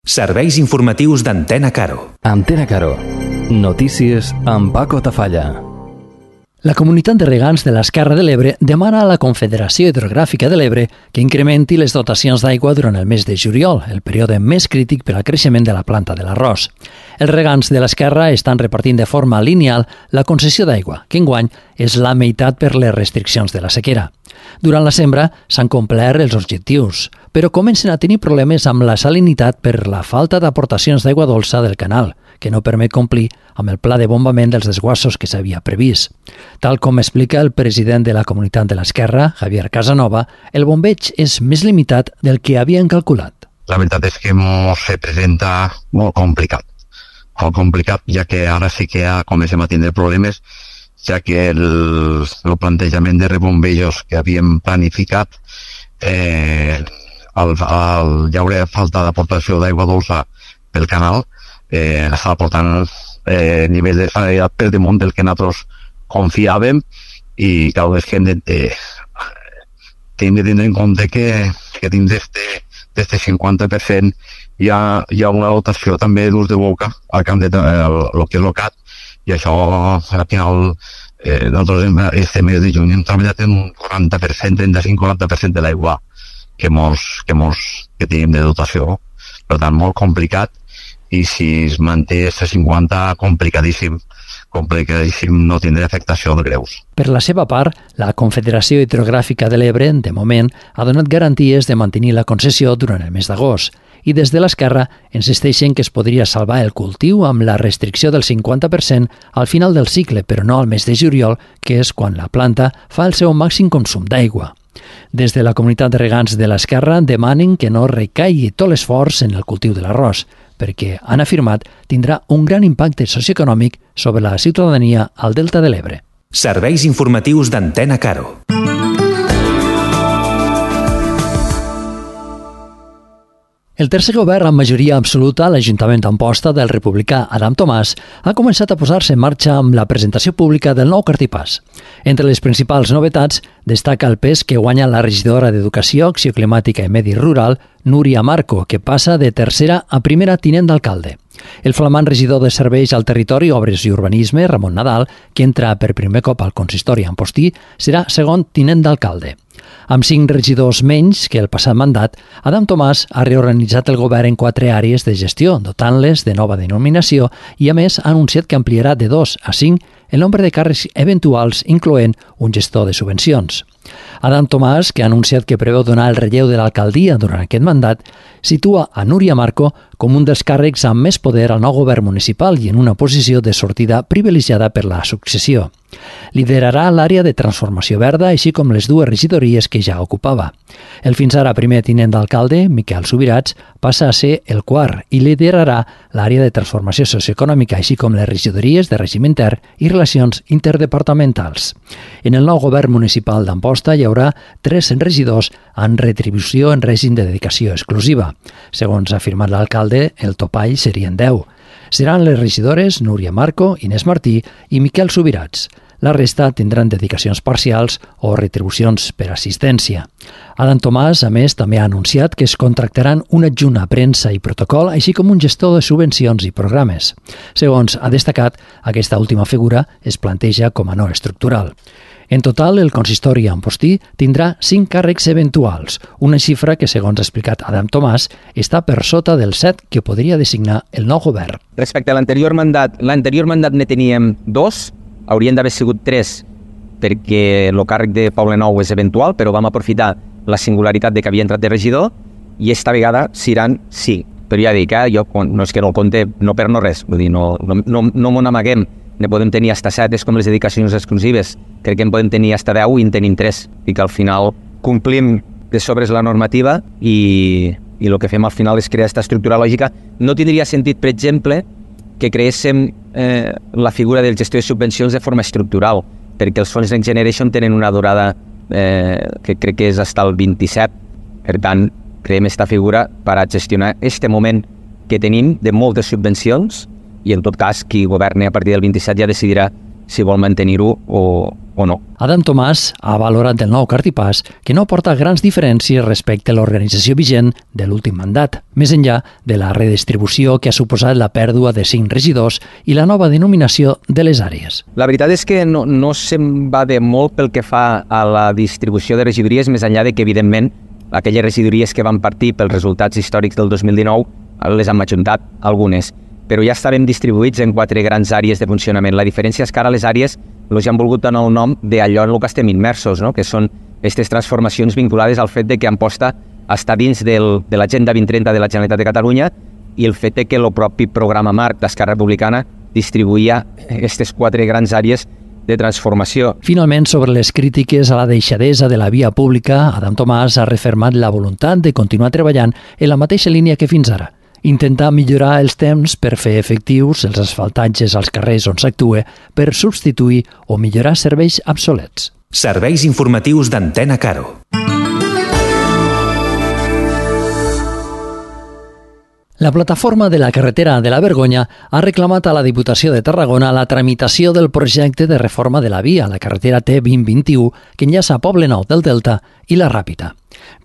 Serveis informatius d'Antena Caro. Antena Caro. Notícies amb Paco Tafalla. La comunitat de regants de l'Esquerra de l'Ebre demana a la Confederació Hidrogràfica de l'Ebre que incrementi les dotacions d'aigua durant el mes de juliol, el període més crític per al creixement de la planta de l'arròs. Els regants de l'Esquerra estan repartint de forma lineal la concessió d'aigua, que enguany és la meitat per les restriccions de la sequera. Durant la sembra s'han complert els objectius, però comencen a tenir problemes amb la salinitat per la falta d'aportacions d'aigua dolça del canal, que no permet complir amb el pla de bombament dels desguassos que s'havia previst. Tal com explica el president de la comunitat de l'Esquerra, Javier Casanova, el bombeig és més limitat del que havien calculat. La veritat és que se presenta molt complicat, ja que ara sí que ja comencem a tindre problemes, ja que el plantejament de rebombejos que havíem planificat, al hi haurà falta d'aportació d'aigua dolça pel canal, està aportant nivell de sanitaritat per damunt del que nosaltres confiàvem, i cada vegada que hem de tenir en compte que dins d'este 50% hi ha una dotació també d'ús de boca al camp de lo que és el CAT, i això al final nosaltres este mes de juny hem treballat en un 40%, 35-40% de l'aigua que tenim de dotació. Per tant, molt complicat, i si es manté aquest 50, complicadíssim no tindrà afectació de greus. Per la seva part, la Confederació Hidrogràfica de l'Ebre, de moment, ha donat garanties de mantenir la concessió durant el mes d'agost, i des de l'Esquerra insisteixen que es podria salvar el cultiu amb la restricció del 50% al final del cicle, però no al mes de juliol, que és quan la planta fa el seu màxim consum d'aigua. Des de la comunitat de regants de l'Esquerra demanen que no recaigui tot l'esforç en el cultiu de l'arròs, perquè, han afirmat, tindrà un gran impacte socioeconòmic sobre la ciutadania al Delta de l'Ebre. Serveis informatius d'Antena Caro. El tercer govern amb majoria absoluta a l'Ajuntament d'Amposta del republicà Adam Tomàs ha començat a posar-se en marxa amb la presentació pública del nou cartipàs. Entre les principals novetats destaca el pes que guanya la regidora d'Educació, Acció Climàtica i Medi Rural, Núria Marco, que passa de tercera a primera tinent d'alcalde. El flamant regidor de Serveis al Territori, Obres i Urbanisme, Ramon Nadal, que entra per primer cop al consistori ampostí, serà segon tinent d'alcalde. Amb 5 regidors menys que el passat mandat, Adam Tomàs ha reorganitzat el govern en 4 àrees de gestió, dotant-les de nova denominació, i a més ha anunciat que ampliarà de 2 a 5 el nombre de càrrecs eventuals, incloent un gestor de subvencions. Adam Tomàs, que ha anunciat que preveu donar el relleu de l'alcaldia durant aquest mandat, situa a Núria Marco com un dels càrrecs amb més poder al nou govern municipal i en una posició de sortida privilegiada per la successió. Liderarà l'àrea de transformació verda, així com les 2 regidories que ja ocupava. El fins ara primer tinent d'alcalde, Miquel Subirats, passa a ser el quart i liderarà l'àrea de transformació socioeconòmica, així com les regidories de règim intern i relacions interdepartamentals. En el nou govern municipal d'Amposta hi haurà 3 regidors amb retribució en règim de dedicació exclusiva. Segons ha afirmat l'alcalde, el topall serien 10. Seran les regidores Núria Marco, Inés Martí i Miquel Subirats. La resta tindran dedicacions parcials o retribucions per assistència. Adam Tomàs, a més, també ha anunciat que es contractaran un adjunt a premsa i protocol, així com un gestor de subvencions i programes. Segons ha destacat, aquesta última figura es planteja com a no estructural. En total, el consistori ampostí tindrà 5 càrrecs eventuals, una xifra que, segons ha explicat Adam Tomàs, està per sota del 7 que podria designar el nou govern. Respecte a l'anterior mandat ne teníem 2, haurien d'haver sigut 3, perquè el càrrec de Poble Nou és eventual, però vam aprofitar la singularitat de que havia entrat de regidor, i esta vegada seran 5. Però ja dic, jo no és que no el compte, no per no res, vull dir, no m'ho n'amaguem. Ne podem tenir hasta 7, és com les dedicacions exclusives. Crec que en podem tenir hasta 10 i en tenim 3. I que al final complim de sobres la normativa i el que fem al final és crear aquesta estructura lògica. No tindria sentit, per exemple, que creéssim la figura del gestor de subvencions de forma estructural, perquè els fons Next Generation tenen una durada que crec que és fins al 27. Per tant, creem aquesta figura per a gestionar aquest moment que tenim de moltes subvencions, i en tot cas qui governi a partir del 27 ja decidirà si vol mantenir-ho o no. Adam Tomàs ha valorat del nou Cartipàs que no aporta grans diferències respecte a l'organització vigent de l'últim mandat, més enllà de la redistribució que ha suposat la pèrdua de 5 regidors i la nova denominació de les àrees. La veritat és que no se'n va de molt pel que fa a la distribució de regidories, més enllà de que, evidentment, aquelles regidories que van partir pels resultats històrics del 2019 les han ajuntat algunes, però ja estaven distribuïts en 4 grans àrees de funcionament. La diferència és que ara les àrees els han volgut donar el nom d'allò en el que estem immersos, no? Que són aquestes transformacions vinculades al fet de que Amposta està dins de l'Agenda 2030 de la Generalitat de Catalunya i el fet de que el propi programa marc d'Esquerra Republicana distribuïa aquestes 4 grans àrees de transformació. Finalment, sobre les crítiques a la deixadesa de la via pública, Adam Tomàs ha refermat la voluntat de continuar treballant en la mateixa línia que fins ara. Intentar millorar els temps per fer efectius els asfaltatges als carrers on s'actua per substituir o millorar serveis obsolets. Serveis informatius d'Antena Caro. La plataforma de la carretera de la Vergonya ha reclamat a la Diputació de Tarragona la tramitació del projecte de reforma de la via, la carretera T2021, que enllaça Poblenou del Delta i la Ràpita.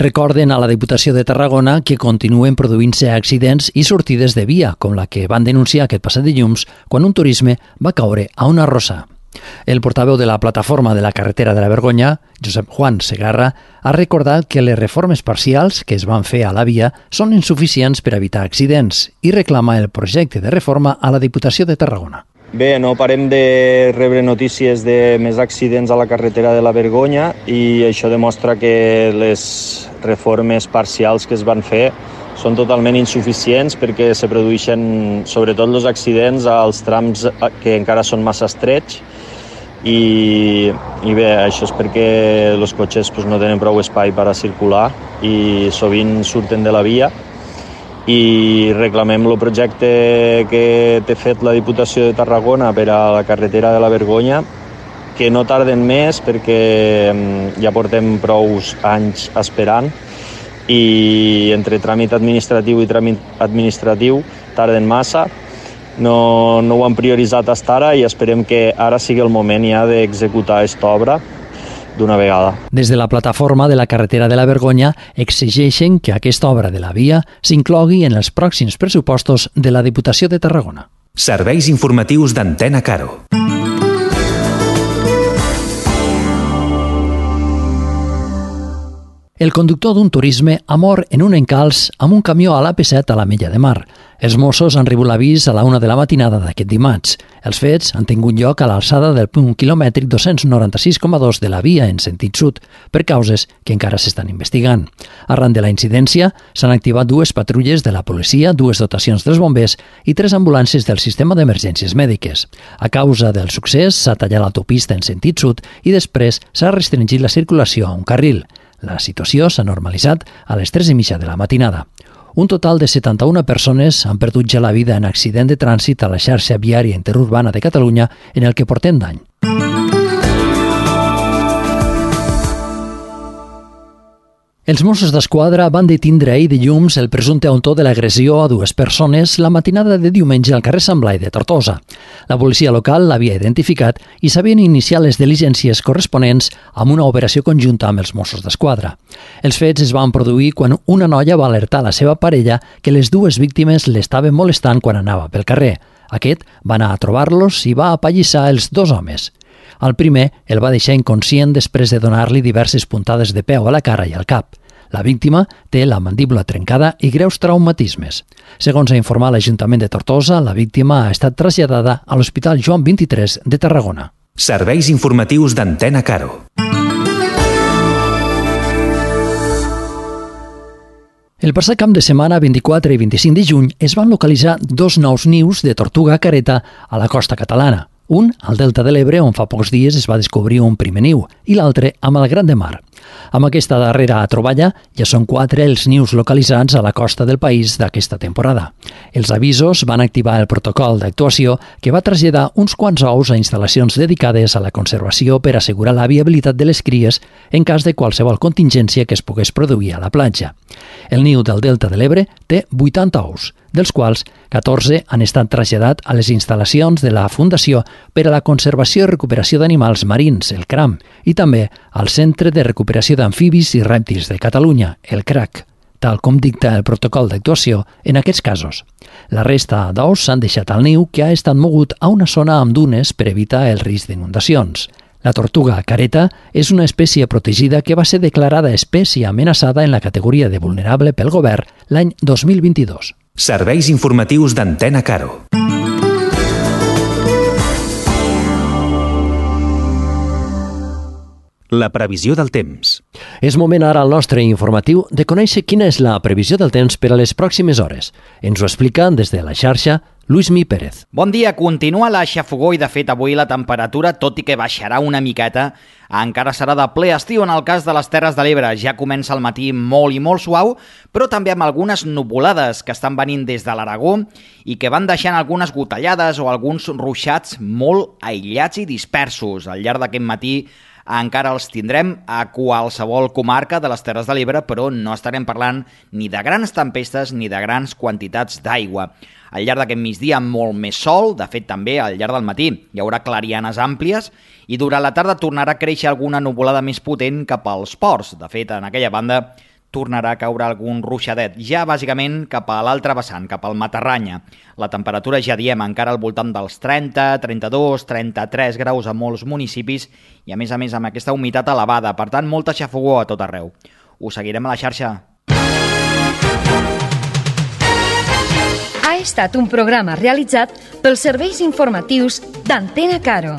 Recorden a la Diputació de Tarragona que continuen produint-se accidents i sortides de via, com la que van denunciar aquest passat dilluns quan un turisme va caure a una rossa. El portaveu de la plataforma de la carretera de la Vergonya, Josep Juan Segarra, ha recordat que les reformes parcials que es van fer a la via són insuficients per evitar accidents i reclama el projecte de reforma a la Diputació de Tarragona. Bé, no parem de rebre notícies de més accidents a la carretera de la Vergonya i això demostra que les reformes parcials que es van fer són totalment insuficients perquè se produeixen sobretot els accidents als trams que encara són massa estrets i bé, això és perquè els cotxes no tenen prou espai per a circular i sovint surten de la via i reclamem el projecte que té fet la Diputació de Tarragona per a la carretera de la Vergonya que no tarden més perquè ja portem prou anys esperant i entre tràmit administratiu i tràmit administratiu tarden massa. No ho han prioritzat fins ara i esperem que ara sigui el moment ja d'executar aquesta obra d'una vegada. Des de la plataforma de la carretera de la Vergonya exigeixen que aquesta obra de la via s'inclogui en els pròxims pressupostos de la Diputació de Tarragona. Serveis informatius d'Antena Caro. El conductor d'un turisme ha mort en un encalç amb un camió a l'AP7 a l'Ametlla de Mar. Els Mossos han rebut l'avís a la 1 de la matinada d'aquest dimarts. Els fets han tingut lloc a l'alçada del punt quilomètric 296,2 de la via en sentit sud, per causes que encara s'estan investigant. Arran de la incidència, s'han activat 2 patrulles de la policia, 2 dotacions dels bombers i 3 ambulàncies del sistema d'emergències mèdiques. A causa del succés, s'ha tallat l'autopista en sentit sud i després s'ha restringit la circulació a un carril. La situació s'ha normalitzat a les 3:30 de la matinada. Un total de 71 persones han perdut ja la vida en accident de trànsit a la xarxa viària interurbana de Catalunya en el que portem d'any. Els Mossos d'Esquadra van detindre ahir dilluns el presumpte autor de l'agressió a 2 persones la matinada de diumenge al carrer Sant Blai de Tortosa. La policia local l'havia identificat i s'havien iniciat les diligències corresponents amb una operació conjunta amb els Mossos d'Esquadra. Els fets es van produir quan una noia va alertar a la seva parella que les 2 víctimes l'estaven molestant quan anava pel carrer. Aquest va anar a trobar-los i va apallissar els 2 homes. El primer el va deixar inconscient després de donar-li diverses puntades de peu a la cara i al cap. La víctima té la mandíbula trencada i greus traumatismes. Segons ha informat l'Ajuntament de Tortosa, la víctima ha estat traslladada a l'Hospital Joan 23 de Tarragona. Serveis informatius d'Antena Caro. El passat cap de setmana, 24 i 25 de juny, es van localitzar 2 nous nius de tortuga careta a la costa catalana. Un al Delta de l'Ebre, on fa pocs dies es va descobrir un primer niu, i l'altre a Malgrat de Mar. Amb aquesta darrera troballa, ja són 4 els nius localitzats a la costa del país d'aquesta temporada. Els avisos van activar el protocol d'actuació que va traslladar uns quants ous a instal·lacions dedicades a la conservació per assegurar la viabilitat de les cries en cas de qualsevol contingència que es pogués produir a la platja. El niu del Delta de l'Ebre té 80 ous, dels quals 14 han estat traslladats a les instal·lacions de la Fundació per a la Conservació i Recuperació d'Animals Marins, el CRAM, i també al Centre de Recuperació d'Amfibis i Rèptils de Catalunya, el CRAC, tal com dicta el protocol d'actuació en aquests casos. La resta d'ous s'han deixat al niu, que ha estat mogut a una zona amb dunes per evitar el risc d'inundacions. La tortuga careta és una espècie protegida que va ser declarada espècie amenaçada en la categoria de vulnerable pel govern l'any 2022. Serveis informatius d'Antena Caro. La previsió del temps. És moment ara al nostre informatiu de conèixer quina és la previsió del temps per a les pròximes hores. Ens ho explica des de la xarxa Luismi Pérez. Bon dia, continua la xafogor i de fet avui la temperatura, tot i que baixarà una miqueta, encara serà de ple estiu en el cas de les Terres de l'Ebre. Ja comença el matí molt i molt suau, però també amb algunes nuvolades que estan venint des de l'Aragó i que van deixant algunes gotellades o alguns ruixats molt aïllats i dispersos. Al llarg d'aquest matí encara els tindrem a qualsevol comarca de les Terres de l'Ebre, però no estarem parlant ni de grans tempestes ni de grans quantitats d'aigua. Al llarg d'aquest migdia molt més sol, de fet també al llarg del matí hi haurà clarianes àmplies i durant la tarda tornarà a créixer alguna nuvolada més potent cap als ports. De fet, en aquella banda tornarà a caure algun ruixadet, ja bàsicament cap a l'altre vessant, cap al Matarranya. La temperatura, ja diem, encara al voltant dels 30, 32, 33 graus a molts municipis i a més amb aquesta humitat elevada, per tant molta xafogor a tot arreu. Us seguirem a la xarxa. Ha estat un programa realitzat pels serveis informatius d'Antena Caro.